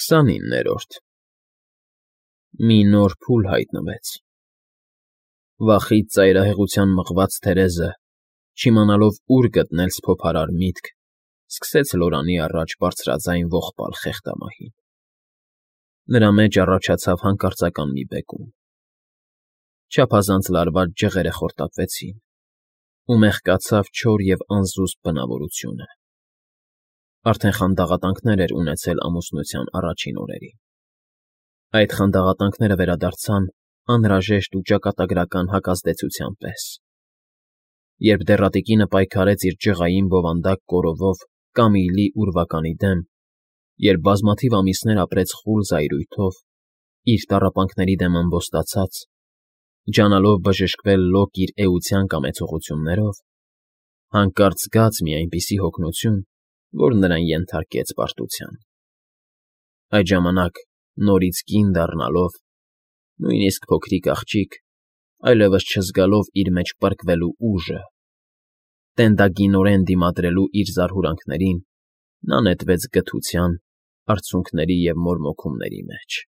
29-րդ Մի նոր փուլ հայտնվեց։ Վախից ծայրահեղության մղված Թերեզը, չիմանալով ուր գտնել սփոփարար միտք, սկսեց լորանի առաջ բարձրաձայն ողբալ խեղդամահին։ Նրա մեջ առաջացավ հանկարծական մի բեկում։ Չափազանց լարված ջղերը խորտակվեցին, ու մեղկացավ չոր և անզուսպ բնավորությունը։ Արդեն խանդաղատանքներ էր ունեցել ամուսնության առաջին օրերին։ Այդ խանդաղատանքները վերադարձան անհրաժեշտ ու ճակատագրական հակազդեցության պես։ Երբ դեռատիկինը պայքարեց իր ջղային բովանդակ կորովով Կամիլի ուրվականի դեմ, երբ բազմաթիվ ամիսներ ապրեց խուլ զայրույթով, իր տառապանքների դեմ ամբոստացած, ջանալով բժշկվել լոկ իր էության կամեցողություններով, հանկարծ զգաց մի այնպիսի հոգնություն, որ նրան ենթարկեց պարտության։ Այդ ժամանակ, նորից կին դառնալով, նույնիսկ փոքրիկ աղջիկ, այլևս չզգալով իր մեջ պրկվելու ուժը, տենդագինորեն դիմադրելու իր զարհուրանքներին, նա նետվեց գթության, արցունքների և մորմոքումների մեջ,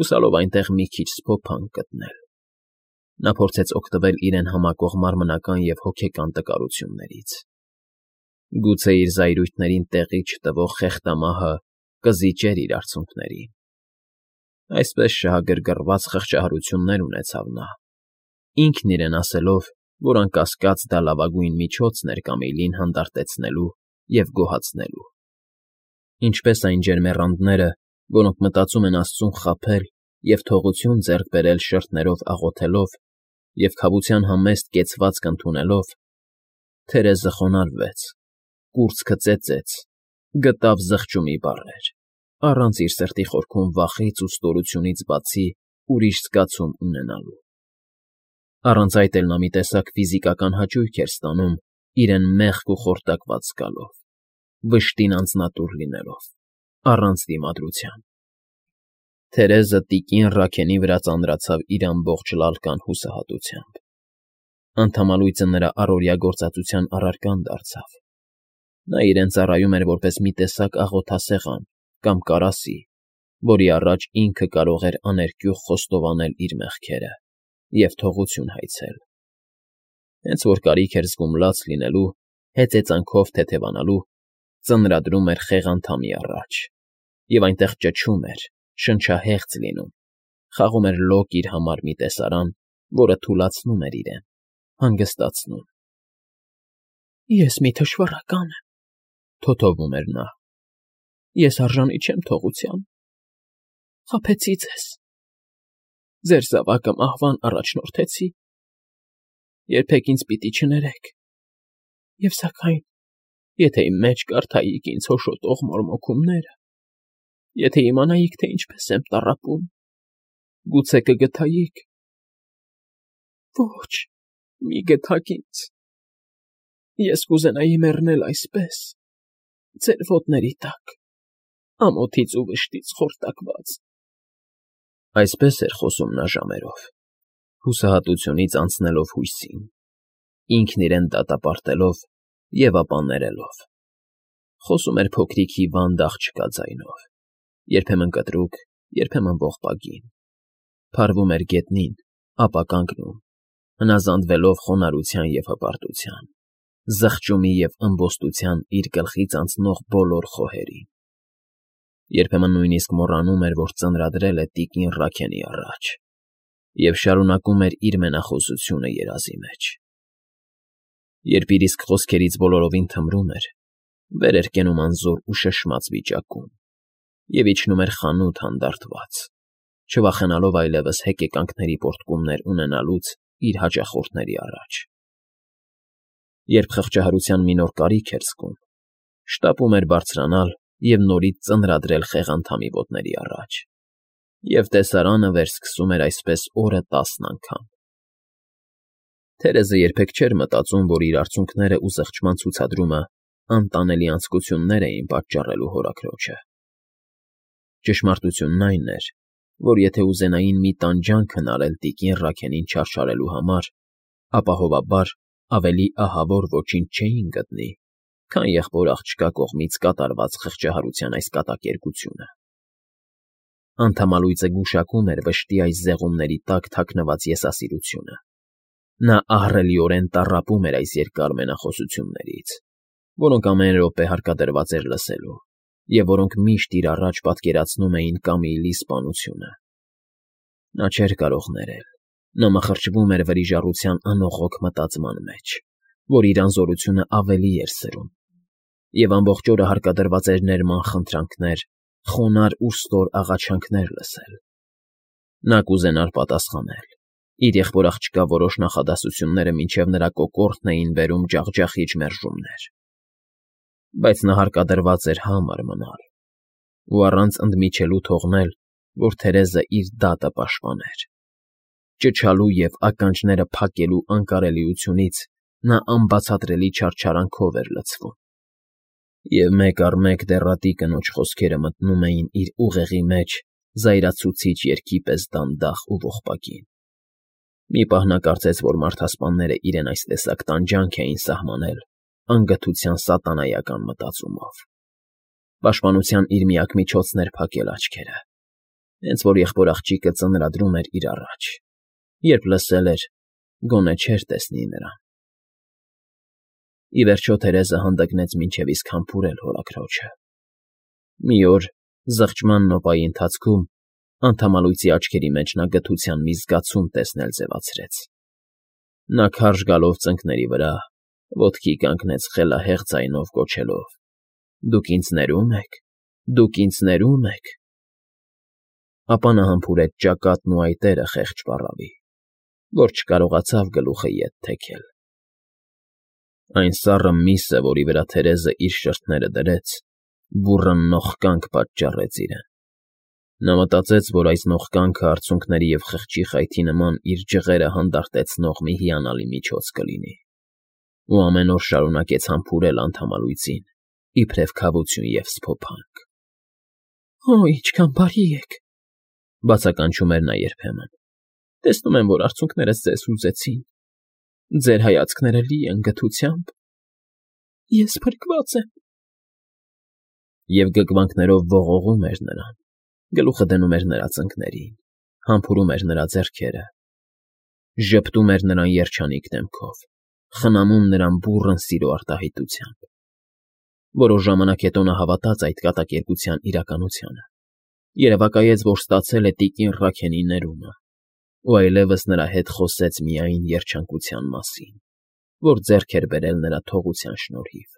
հուսալով այնտեղ մի քիչ սփոփանք գտնել։ Նա փորձեց օգտվել իրեն համակող մարմնական և հոգեկան տկարություններից։ Գուցե իր զայրույթներին տեղի չտվող խեղդամահը կզիջեր իր արցունքներին։ Այսպես շահագրգռված խղճահարություններ ունեցավ նա, ինքն իրեն ասելով, որ անկասկած դա լավագույն միջոցն էր Կամիլին հանդարտեցնելու և գոհացնելու։ Ինչպես այն ջերմեռանդները, որոնք մտածում են աստծուն խաբել և թողություն ձեռք բերել շրթներով աղոթելով և քավության համեստ կեցվածք ընդունելով, Թերեզը խոնարհվեց, կուրծքը ծեծեց, գտավ զղջումի բառեր, առանց իր սրտի խորքում վախից ու ստորությունից բացի ուրիշ զգացում ունենալու։ Առանց այդ էլ նա մի տեսակ ֆիզիկական հաճույք էր ստանում իրեն մեղք ու խորտակված զգալով, վշտին անձնատուր լինելով, առանց դիմադրության։ Թերեզը տիկին Ռաքենի վրա ծանրացավ իր ամբողջ լալկան հուսահատությամբ։ Անդամալույծը նրա առօրյա գործածության առարկան դարձավ։ Նա իրեն ծառայում էր որպես մի տեսակ աղոթասեղան կամ կարասի, որի առաջ ինքը կարող էր աներկյուղ խոստովանել իր մեղքերը և թողություն հայցել։ Հենց որ կարիք էր զգում լաց լինելու, հեծեծանքով թեթևանալու, ծնրադրում էր խեղանդամի առաջ, և այնտեղ ճչում էր, շնչահեղձ լինում, խաղում էր լոկ իր համար մի տեսարան, որը թուլացնում էր իրեն, հանգստացնում։ «Ես մի թշվառական եմ,֊ թոթովում էր նա,֊ ես արժանի չեմ թողության, խաբեցի ձեզ, ձեր զավակը մահվան առաջնորդեցի, երբեք ինձ պիտի չներեք, և սակայն, եթե իմ մեջ կարդայիք ինձ հոշոտող մորմոքումները, եթե իմանայիք, թե ինչպես եմ տառապում, գուցե կգթայիք։ Ոչ, մի գթաք ինձ, ես կուզենայի մեռնել այսպես, ձեր ոտների տակ, ամոթից ու վշտից խորտակված»։ Այսպես էր խոսում նա ժամերով, հուսահատությունից անցնելով հույսին, ինքն իրեն դատապարտելով և ապա ներելով։ Խոսում էր փոքրիկ հիվանդ աղջկա ձայնով, երբեմն կտրուկ, երբեմն ողբագին, փարվում էր գետնին, ապա կանգնում, հնազանդվելով խոնարհության և հպարտության, զղջումի և ըմբոստության իր գլխից անցնող բոլոր խոհերին։ Երբեմն նույնիսկ մոռանում էր, որ ծնրադրել է տիկին Ռաքենի առաջ, և շարունակում էր իր մենախոսությունը երազի մեջ։ Երբ իր իսկ խոսքերից բոլորովին թմրում էր, վեր էր կենում անզոր ու շշմած վիճակում և իջնում էր խանութ հանդարտված, չվախենալով այլևս հեկեկանքների պոռթկումներ ունենալուց իր հաճախորդների առաջ։ Երբ խղճահարության մի նոր կարիք էր զգում, շտապում էր բարձրանալ և նորից ծնրադրել խեղանդամի ոտների առաջ, և տեսարանը վերսկսում էր այսպես օրը 10 անգամ։ Թերեզը երբեք չէր մտածում, որ իր արցունքները ու զղջման ցուցադրումը անտանելի անձկություններ էին պատճառելու հորաքրոջը։ Ճշմարտությունն այն էր, որ եթե ուզենային մի տանջանք հնարել տիկին Ռաքենին չարչարելու համար, ապահովաբար ավելի ահավոր ոչինչ չէին գտնի, քան եղբոր աղջկա կողմից կատարված խղճահարության այս կատակերգությունը։ Անդամալույծը գուշակում էր վշտի այս զեղումների տակ թաքնված եսասիրությունը։ Նա ահռելիորեն տառապում էր այս երկար մենախոսություններից, որոնք ամեն րոպե հարկադրված էր լսելու, և որոնք միշտ իր առաջ պատկերացնում էին Կամիլի սպանությունը։ Նա չէր կարող ներել։ Նա մխրճվում էր վրիժառության անողոք մտածման մեջ, որ իր անզորությունը ավելի էր սրում, և ամբողջ օրը հարկադրված էր ներման խնդրանքներ, խոնարհ ու ստոր աղաչանքներ լսել։ Նա կուզենար պատասխանել, իր եղբոր-աղջկա որոշ նախադասությունները մինչև նրա կոկորդն էին բերում ջախջախիչ մերժումներ, բայց նա հարկադրված էր համր մնալ ու առանց ընդմիջելու թողնել, որ Թերեզը իր դատը պաշտպաներ։ Ճչալու և ականջները փակելու անկարելիությունից նա անբացատրելի չարչարանքով էր լցվում, և մեկ առ մեկ դեռատի կնոջ խոսքերը մտնում էին իր ուղեղի մեջ զայրացուցիչ երգի պես դանդաղ ու ողբակին։ Մի պահ նա կարծեց, որ մարդասպանները իրեն այս տեսակ տանջանք էին սահմանել անգթության սատանայական մտածումով։ Պաշտպանության իր միակ միջոցն էր փակել աչքերը, հենց որ եղբոր-աղջիկը ծնրադրում էր իր առաջ, երբ լսել էր, գոնե չէր տեսնի նրան։ Ի վերջո Թերեզը հանդգնեց մինչև իսկ համբուրել հորաքրոջը։ Մի օր, զղջման նոպայի ընթացքում, անդամալույծի աչքերի մեջ նա գթության մի զգացում տեսնել ձևացրեց։ Նա քարշ գալով ծնկների վրա, ոտքի կանգնեց խելահեղ ձայնով գոչելով. «Դուք ինձ ներո՞ւմ եք, դուք ինձ ներո՞ւմ եք»։ Ապա նա համբուրեց ճակատն ու այտերը խեղճ պառավի, որ չկարողացավ գլուխը ետ թեքել։ Այն սառը միսը, որի վրա Թերեզը իր շրթները դրեց, բուռն նողկանք պատճառեց իրեն։ Նա մտածեց, որ այս նողկանքը արցունքների և խղճի խայթի նման իր ջղերը հանդարտեցնող մի հիանալի միջոց կլինի, ու ամեն օր շարունակեց համբուրել անդամալույծին, իբրև քավություն և սփոփանք։ «Օ, ինչքան բարի եք», բացականչում էր նա երբեմն։ «Տեսնում եմ, որ արցունքներս ձեզ հուզեցին։ Ձեր հայացքները լի են գթությամբ։ Ես փրկված եմ»։ Եվ գգվանքներով ողողում էր նրան, գլուխը դնում էր նրա ծնկներին, համբուրում էր նրա ձեռքերը, ժպտում էր նրան երջանիկ դեմքով, խնամում նրան բուռն սիրո արտահայտությամբ։ Որոշ ժամանակ հետո նա հավատաց այդ կատակերգության իրականությանը, երևակայեց, որ ստացել է տիկին Ռաքենի ներումը, ու այլևս նրա հետ խոսեց միայն երջանկության մասին, որ ձեռք էր բերել նրա թողության շնորհիվ։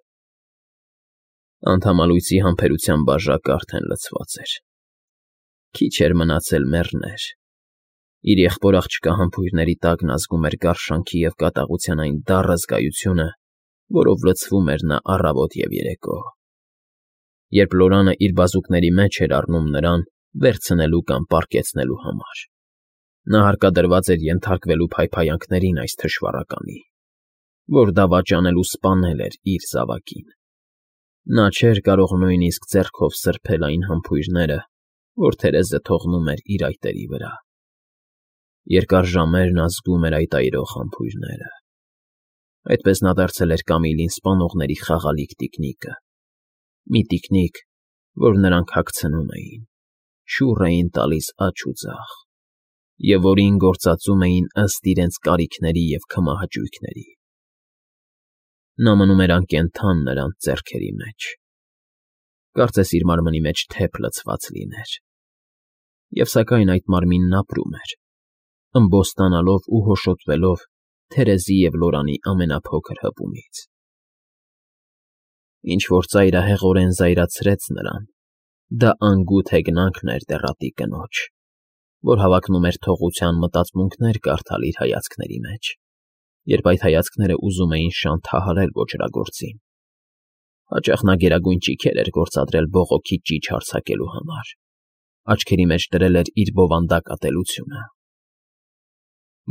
Անդամալույծի համբերության բաժակը արդեն լցված էր։ Քիչ էր մնացել մեռներ։ Իր եղբոր-աղջկա համբույրների տակ նա զգում էր գարշանքի և կատաղության այն դառը զգայությունը, որով լցվում էր նա առավոտ և երեկո։ Երբ Լորանը իր բազուկների մեջ էր առնում նրան վերցնելու կամ պառկեցնելու համար, նա հարկադրված էր ենթարկվելու փայփայանքներին այս թշվառականի, որ դավաճանել ու սպանել էր իր զավակին։ Նա չէր կարող նույնիսկ ձեռքով սրբել այն համբույրները, որ Թերեզը թողնում էր իր այտերի վրա։ Երկար ժամեր նա զգում էր այդ այրող համբույրները։ Այդպես նա դարձել էր Կամիլին սպանողների խաղալիք տիկնիկը, մի տիկնիկ, որ նրանք հագցնում էին, շուռ էին տալիս աջ ու ձախ, և որին գործածում էին ըստ իրենց կարիքների և քմահաճույքների։ Նա մնում էր անկենդան նրանց ձեռքերի մեջ, կարծես իր մարմնի մեջ թեփ լցված լիներ, և սակայն այդ մարմինն ապրում էր, ըմբոստանալով ու հոշոտվելով Թերեզի և Լորանի ամենափոքր հպումից։ Ինչ-որ ծայրահեղորեն զայրացրեց նրան, դա անգութ հեգնանքն էր դեռատի կնոջ, որ հավակնում էր թողության մտածմունքներ կարդալ իր հայացքների մեջ, երբ այդ հայացքները ուզում էին շանթահարել ոճրագործին։ Հաճախ նա գերագույն ճիգեր էր գործադրել բողոքի ճիչ հարձակելու համար, աչքերի մեջ դրել էր իր բովանդակ ատելությունը։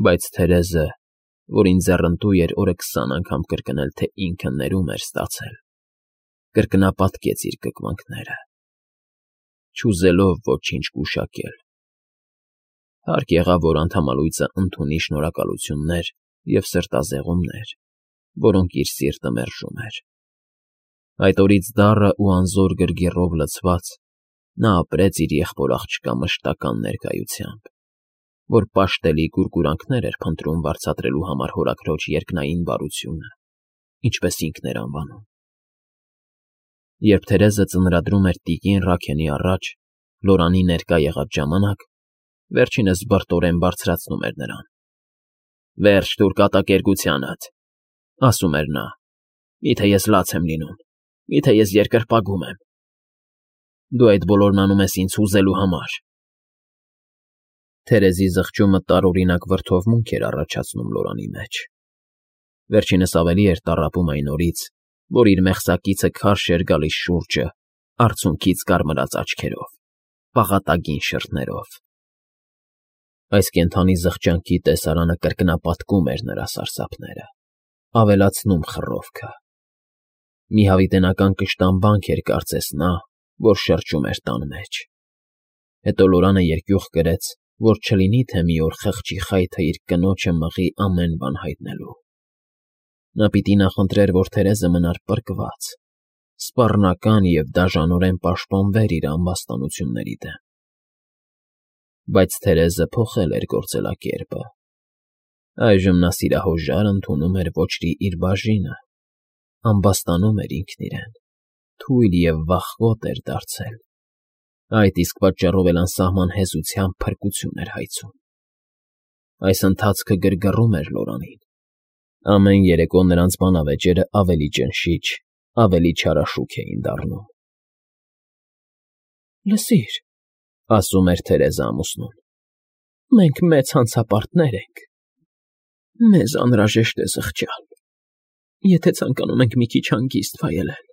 Բայց Թերեզը, որին ձեռնտու էր օրը 20 անգամ կրկնել, թե ինքը ներում էր ստացել, կրկնապատկեց իր կկվանքները, չուզելով ոչինչ գուշակել։ Հարկ եղավ, որ անդամալույծը ընդունի շնորհակալություններ և սրտազեղումներ, որոնք իր սիրտը մերժում էր։ Այդ օրից դառը ու անզոր գրգիռով լցված, Նա ապրեց իր եղբոր աղջկա մշտական ներկայությամբ, որ պաշտելի գուրգուրանքներ էր փնտրում վարձատրելու համար հորաքրոջ երկնային բարությունը, ինչպես ինքն էր անվանում։ Երբ Թերեզը ծնրադրում էր տիկին Ռաքենի առաջ, Լորանի ներկա եղած ժամանակ, վերջինս բրտորեն բարձրացնում էր նրան։ «Վերջ տուր կատակերգությանդ», ասում էր նա, «միթե ես լաց եմ լինում, միթե ես երկրպագում եմ։ Դու այդ բոլորն անում ես ինձ հուզելու համար»։ Թերեզի զղջումը տարօրինակ վրդովմունք էր առաջացնում Լորանի մեջ։ Վերջինս ավելի էր տառապում այն օրից, որ իր մեղսակիցը քարշ էր գալիս շուրջը, արցունքից կարմրած աչքերով, պաղատագին շրթներով։ Այս կենդանի զղջանքի տեսարանը կրկնապատկում էր նրա սարսափները, ավելացնում խռովքը։ Մի հավիտենական կշտամբանք էր կարծես նա, որ շրջում էր տան մեջ։ Հետո Լորանը երկյուղ կրեց, որ չլինի թե մի օր խղճի խայթը իր կնոջը մղի ամեն բան հայտնելու։ Նա պիտի նախընտրեր, որ Թերեզը մնար պրկված, սպառնական և դաժանորեն պաշտպանվեր իր ամբաստանությունների դեմ։ Բայց Թերեզը փոխել էր գործելակերպը։ Այժմ նա սիրահոժար ընդունում էր ոչրի իր բաժինը, ամբաստանում էր ինքն իրեն, թույլ և վախկոտ էր դարձել։ Այդ իսկ պատճառով էլ անսահման հեզությամբ փրկություն էր հայցում։ Այս ընթացքը գրգռում էր Լորանին։ Ամեն երեկո նրանց բանավեճերը ավելի ճնշիչ, ավելի չարաշուք էին դառնում։ «Լսիր», ասում էր Թերեզը ամուսնուն, «մենք մեծ հանցապարտներ ենք։ Մեզ անհրաժեշտ է զղջալ, եթե ցանկանում ենք մի քիչ հանգիստ վայելել։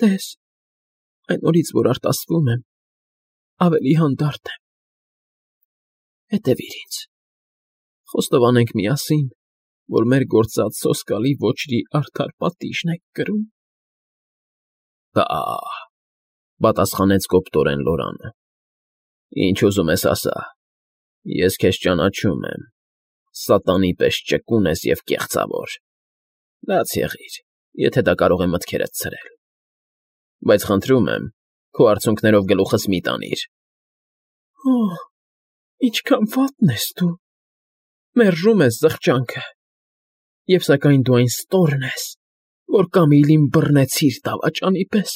Տես, այն օրից, որ արտասվում եմ, ավելի հանդարտ եմ։ Հետևիր ինձ, խոստովանենք միասին, որ մեր գործած սոսկալի ոչրի արդար պատիժն ենք կրում»։ «Փահ», պատասխանեց կոպտորեն Լորանը, «ինչ ուզում ես ասա, ես քեզ ճանաչում եմ, սատանի պես ճկուն ես և կեղծավոր։ Լաց եղիր, եթե դա կարող է մտքերդ ցրել։ Բայց խնդրում եմ, քո արցունքներով գլուխս մի տանիր»։ «Օհ, ինչքան վատն ես դու, մերժում ես զղջանքը, և սակայն դու այն ստորն ես, որ Կամիլին բռնեցիր դավաճանի պես»։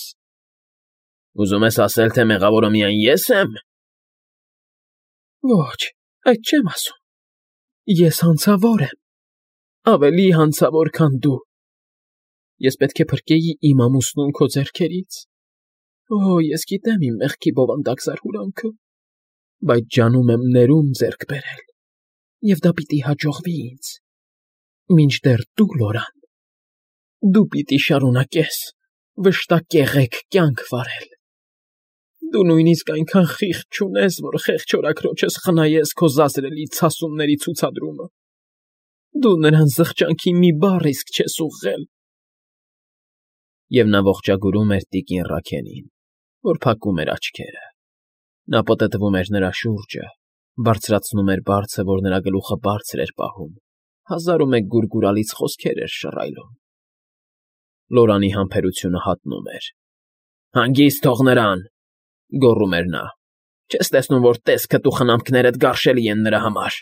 «Ուզում ես ասել, թե մեղավորը միայն ես եմ»։ «Ոչ, այդ չեմ ասում։ Ես հանցավոր եմ, ավելի հանցավոր, քան դու։ Ես պետք է փրկեի իմ ամուսնուն քո ձեռքերից։ Օ, ես գիտեմ իմ մեղքի բովանդակ զարհուրանքը, բայց ջանում եմ ներում ձեռք բերել, և դա պիտի հաջողվի ինձ։ Մինչդեռ դու, Լորան, դու պիտի շարունակես վշտակեղեկ կյանք վարել։ Դու նույնիսկ այնքան խիղճ չունես, որ խեղճորաքրոջս խնայես քո զազրելի ցասումների ցուցադրումը։ Դու նրան զղջանքի մի բառ իսկ չես ուղղել»։ Եվ նա ողջագուրում էր տիկին Ռաքենին, որ փակում էր աչքերը։ Նա պտտվում էր նրա շուրջը, բարձրացնում էր բարձը, որ նրա գլուխը բարձր էր պահում, հազար ու մեկ գուրգուրալից խոսքեր էր շռայլում։ Լորանի համբերությունը հատնում էր։ «Հանգիստ թող նրան», գոռում էր նա, «չես տեսնում, որ տեսքդ ու խնամքներդ գարշելի են նրա համար։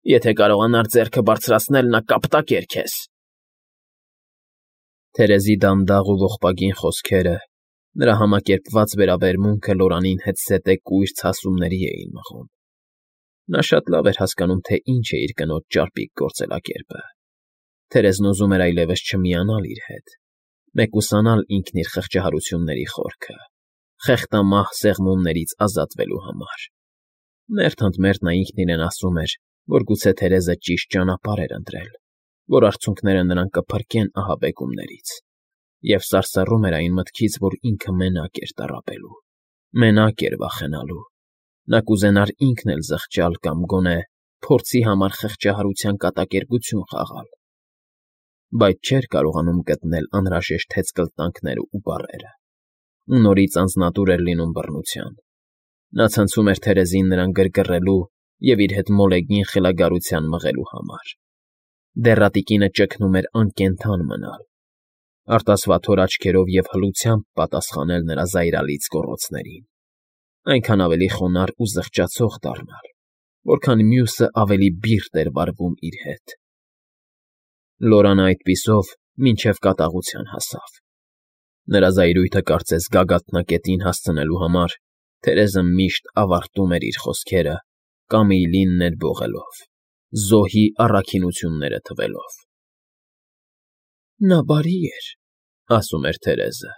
Եթե կարողանար ձեռքը բարձրացնել, նա կապտակեր քեզ»։ Թերեզի դանդաղ ու ողբագին խոսքերը, նրա համակերպված վերաբերմունքը Լորանին հետզհետե կույր ցասումների էին մղում։ Նա շատ լավ էր հասկանում, թե ինչ է իր կնոջ ճարպիկ գործելակերպը։ Թերեզն ուզում էր այլևս չմիանալ իր հետ, մեկուսանալ ինքն իր խղճահարությունների խորքը, խեղտամահ սեղմումներից ազատվելու համար։ Մերթ ընդ մերթ նա ինքն իրեն ասում էր, որ գուցե Թերեզը ճիշտ ճանապարհ էր ընտրել, որ արցունքները նրան կփրկեն ահաբեկումներից, և սարսռում էր այն մտքից, որ ինքը մենակ էր տառապելու, մենակ էր վախենալու։ Նա կուզենար ինքն էլ զղջալ կամ գոնե փորձի համար խղճահարության կատակերգություն խաղալ, բայց չէր կարողանում գտնել անհրաժեշտ հեծկլտանքները ու բառերը, ու նորից անձնատուր էր լինում բռնության։ Նա ցնցում էր Թերեզին նրան գրգռելու և իր հետ մոլեգին խելագարության մղելու համար։ Դեռատիկինը ճգնում էր անկենդան մնալ։ արտասվաթոր աչքերով և հլությամբ պատասխանել նրա զայրալից գոռոցներին, այնքան ավելի խոնարհ ու զղջացող դառնալ, որքան մյուսը ավելի բիրտ էր վարվում իր հետ։ Լորանը այդպիսով մինչև կատաղության հասավ։ Նրա զայրույթը կարծես գագաթնակետին հասցնելու համար Թերեզը միշտ ավարտում էր իր խոսքերը Կամիլին ներբողելով, զոհի առաքինությունները թվելով։ «Նա բարի էր,֊ ասում էր Թերեզը,֊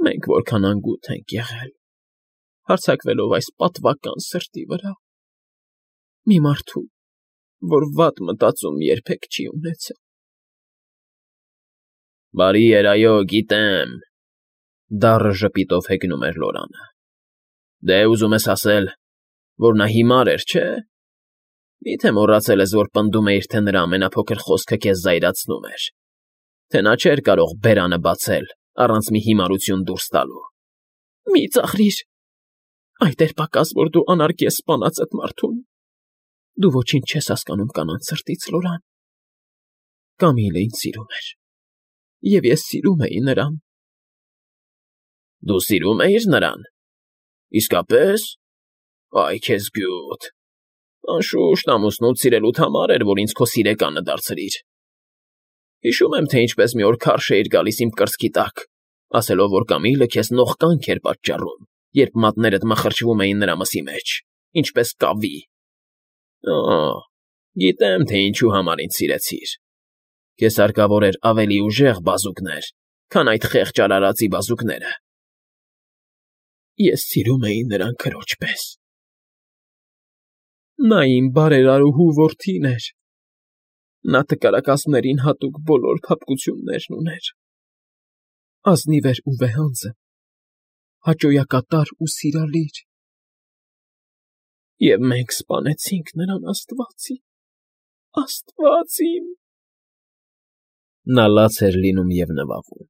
մենք որքան անգութ ենք եղել, հարձակվելով այս պատվական սրտի վրա, մի մարդու, որ վատ մտածում երբեք չի ունեցել»։ «Բարի էր, այո, գիտեմ,֊ դառը ժպիտով հեգնում էր Լորանը։֊ Դե, ուզում ես ասել, որ նա հիմար էր, չէ՞։ Մի՞թե մոռացել ես, որ պնդում էիր, թե նրա ամենափոքր խոսքը քեզ զայրացնում էր, թե նա չէր կարող բերանը բացել առանց մի հիմարություն դուրս տալու։ Մի ծաղրիր, այդ էր պակաս, որ դու անարգես սպանած այդ մարդուն։ Դու ոչինչ չես հասկանում կանանց սրտից, Լորան։ Կամիլը ինձ սիրում էր, և ես սիրում էի նրան։ Դու սիրում էիր նրան։ Իսկապես։ Այ քեզ գյուտ։ Անշուշտ ամուսնուդ սիրելուդ համար էր, որ ինձ քո սիրեկանը դարձրիր։ Հիշում եմ, թե ինչպես մի օր քարշ էիր գալիս իմ կրծքի տակ, ասելով, որ Կամիլը քեզ նողկանք էր պատճառում, երբ մատներդ մխրճվում էին նրա մսի մեջ, ինչպես կավի։ Գիտեմ, թե ինչու համար ինձ սիրեցիր։ Քեզ հարկավոր էր ավելի ուժեղ բազուկներ, քան այդ խեղճ արարածի բազուկները։ Ես սիրում էի նրան քրոջ պես։ Նա իմ բարերարուհու որդին էր։ Նա տկարակազմներին հատուկ բոլոր փափկություններն ուներ։ Ազնիվ էր ու վեհանձն, հաճոյակատար ու սիրալիր։ Եվ մենք սպանեցինք նրան, Աստված իմ… Նա լաց էր լինում և նվաղում։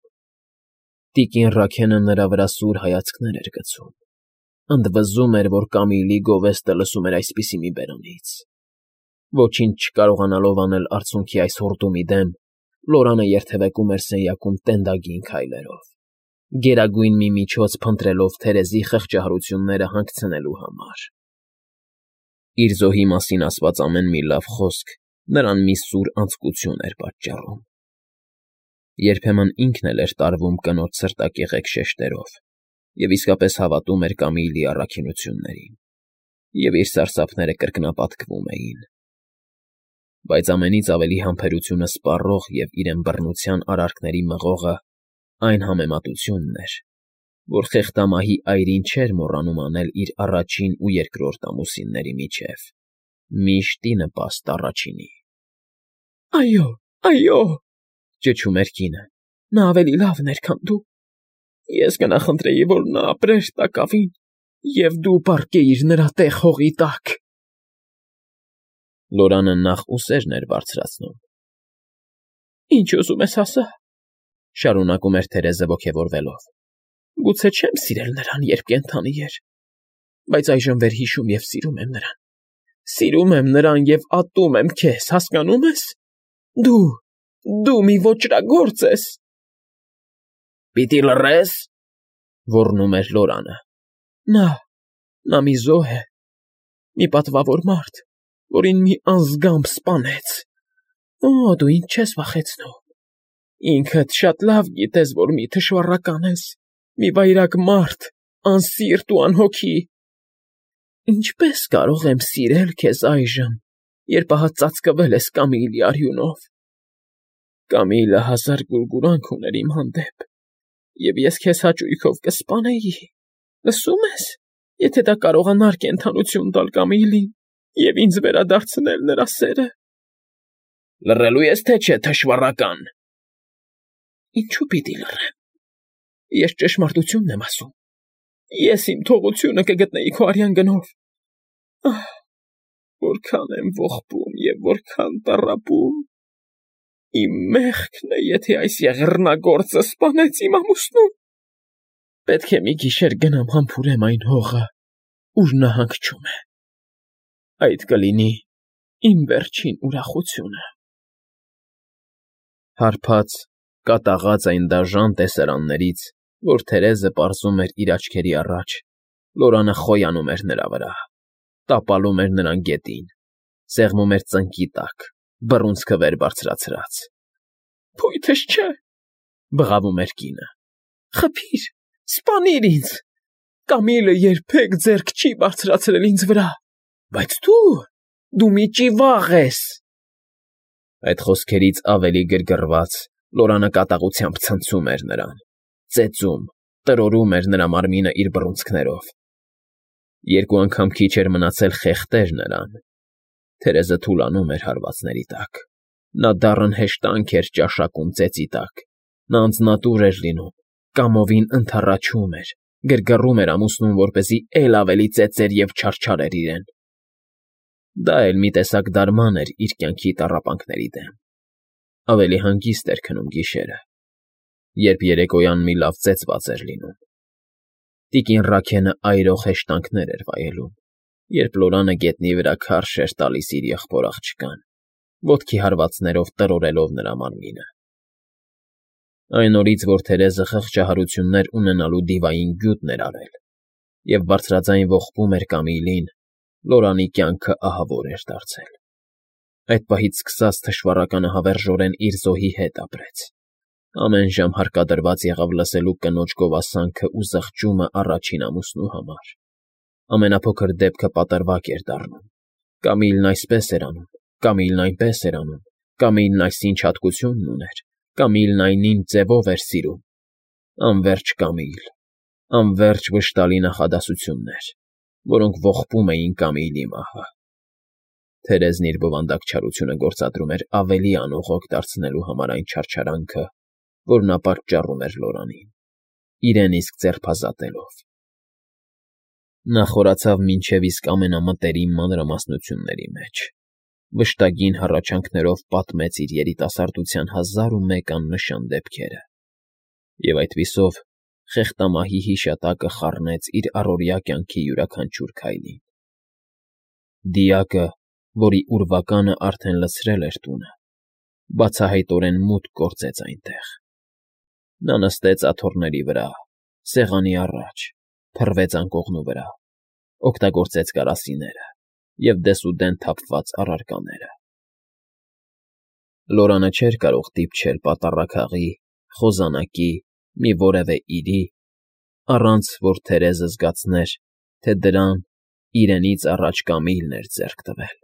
Տիկին Ռաքենը նրա վրա սուր հայացքներ էր գցում, ընդվզում էր, որ Կամիլի գովեստը լսում էր այսպիսի մի բերանից։ Ոչինչ չկարողանալով անել արցունքի այս հորդումի դեմ, Լորանը երթևեկում էր սենյակում տենդագին քայլերով, գերագույն մի միջոց փնտրելով Թերեզի խղճահարությունները հանգցնելու համար։ Իր զոհի մասին ասված ամեն մի լավ խոսք նրան մի սուր անձկություն էր պատճառում։ Երբեմն ինքն էլ էր տարվում կնոջ սրտակեղեկ շեշտերով և իսկապես հավատում էր Կամիլի առաքինություններին, և իր սարսափները կրկնապատկվում էին։ Բայց ամենից ավելի համբերությունը սպառող և իրեն բռնության արարքների մղողը այն համեմատությունն էր, որ խեղդամահի այրին չէր մոռանում անել իր առաջին ու երկրորդ ամուսինների միջև, միշտ ի նպաստ առաջինի։ Այո,֊ ճչում էր կինը,֊ նա ավելի լավն էր, քան դու։ Ես կնախընտրեի, որ նա ապրեր տակավին, և դու պառկեիր նրա տեղ հողի տակ։ Լորանը նախ ուսերն էր բարձրացնում։ Ինչ ուզում ես ասա,֊ շարունակում էր Թերեզը ոգևորվելով։ Գուցե չեմ սիրել նրան, երբ կենդանի էր, բայց այժմ վերհիշում և սիրում եմ նրան։ Սիրում եմ նրան և ատում եմ քեզ, հասկանո՞ւմ ես։ Դու մի ոճրագործ ես։ Պիտի լռե՞ս,֊ ոռնում էր Լորանը։ Նա մի զոհ է, մի պատվավոր մարդ, որին մի անզգամբ սպանեց։ Դու ինձ չես վախեցնում։ Ինքդ շատ լավ գիտես, որ մի թշվառական ես, մի վայրագ մարդ, անսիրտ ու անհոգի։ Ինչպե՞ս կարող եմ սիրել քեզ այժմ, երբ ահա ծածկվել ես Կամիլի արյունով։ Կամիլը հազար գուրգուրանք ուներ իմ հանդեպ, և ես քեզ հաճույքով կսպանեի, լսո՞ւմ ես, եթե դա կարողանար կենդանություն տալ Կամիլին և ինձ վերադարձնել նրա սերը։ Լռելու ես, թե չէ, թշվառական։ Ինչու պիտի լռեմ։ Ես ճշմարտությունն եմ ասում։ Ես իմ թողությունը կգտնեի քո արյան գնով։ Որքան եմ ողբում և որքան տառապում։ Իմ մեղքն է, եթե այս եղեռնագործը սպանեց իմ ամուսնուն։ Պետք է մի գիշեր գնամ համբուրեմ այն հողը, ուր նա հանգչում է։ Այդ կլինի իմ վերջին ուրախությունը։ Հարբած, կատաղած այն դաժան տեսարաններից, որ Թերեզը պարզում էր իր աչքերի առաջ, Լորանը խոյանում էր նրա վրա, տապալում էր նրան գետին, սեղմում էր ծնկի տակ, բռունցքը վեր բարձրացրած։ ֊ Փույթս չէ,֊ բղավում էր կինը։ ֊ Խփիր, սպանիր ինձ… Կամիլը երբեք ձեռք չի բարձրացրել ինձ վրա, բայց դու մի ճիվաղ ես… Այդ խոսքերից ավելի գրգռված Լորանը կատաղությամբ ցնցում էր նրան, ծեծում, տրորում էր նրա մարմինը իր բռունցքներով։ Երկու անգամ քիչ էր մնացել խեղդեր նրան։ Թերեզը թուլանում էր հարվածների տակ։ Նա դառն հեշտանք էր ճաշակում ծեծի տակ։ Նա անձնատուր էր լինում, կամովին ընդառաջում էր, գրգռում էր ամուսնուն, որպեսզի էլ ավելի ծեծեր և չարչարեր իրեն։ Դա էլ մի տեսակ դարման էր իր կյանքի տառապանքների դեմ։ Ավելի հանգիստ էր քնում գիշերը, երբ երեկոյան մի լավ ծեծված էր լինում։ Տիկին Ռաքենը այրող հեշտանքներ էր վայելում, երբ Լորանը գետնի վրա քարշ էր տալիս իր եղբոր աղջկան, ոտքի հարվածներով տրորելով նրա մարմինը։ Այն օրից, որ Թերեզը խղճահարություններ ունենալու դիվային գյուտ էր արել և բարձրաձայն ողբում էր Կամիլին, Լորանի կյանքը ահավոր էր դարձել։ Այդ պահից սկսած թշվառականը հավերժորեն իր զոհի հետ ապրեց։ Ամեն ժամ հարկադրված եղավ լսելու կնոջ գովասանքը ու զղջումը առաջին ամուսնու համար։ Ամենափոքր դեպքը պատրվակ էր դառնում։ Կամիլն այսպես էր անում, Կամիլն այնպես էր անում, Կամիլն այսինչ հատկությունն ուներ, Կամիլն այնինչ ձևով էր սիրում։ Անվերջ Կամիլ, անվերջ վշտալի նախադասություններ, որոնք ողբում էին Կամիլի մահը։ Թերեզն իր բովանդակ չարությունը գործադրում էր ավելի անողոք դարձնելու համար այն չարչարանքը, որ նա պատճառում էր Լորանին, իրեն իսկ ձերբազատելով։ Նա խորացավ մինչև իսկ ամենամտերիմ մանրամասնությունների մեջ, վշտագին հառաչանքներով պատմեց իր երիտասարդության 1001 աննշան դեպքերը, և այդպիսով խեղտամահի հիշատակը խառնեց իր առօրյա կյանքի յուրաքանչյուր քայլին։ Դիակը, որի ուրվականը արդեն լցրել էր տունը, բացահայտորեն մուտք գործեց այնտեղ։ Նա նստեց աթոռների վրա, սեղանի առաջ, փռվեց անկողնու վրա, օգտագործեց կարասիները և դեսուդեն թափված առարկաները։ Լորանը չէր կարող դիպչել պատառաքաղի, խոզանակի, մի որևէ իրի, առանց որ Թերեզը զգացներ, թե դրան իրենից առաջ Կամիլն էր ձեռք տվել։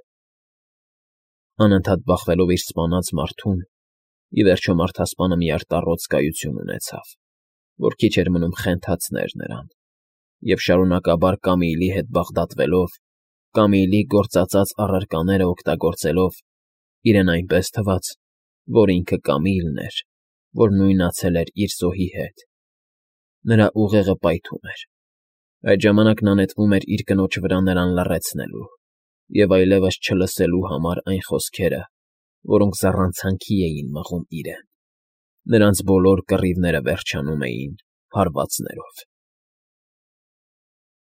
Անընդհատ բախվելով իր սպանած մարդուն, ի վերջո մարդասպանը մի արտառոց կայություն ունեցավ, որ քիչ էր մնում խենթացներ նրան, և շարունակաբար Կամիլի հետ բաղդատվելով, Կամիլի գործածած առարկաները օգտագործելով, իրեն այնպես թվաց, որ ինքը Կամիլն էր, որ նույնացել էր իր զոհի հետ։ Նրա ուղեղը պայթում էր։ Այդ ժամանակ նա նետվում էր իր կնոջ վրա նրան լռեցնելու և այլևս չլսելու համար այն խոսքերը, որոնք զառանցանքի էին մղում իրեն։ Նրանց բոլոր կռիվները վերջանում էին հարվածներով։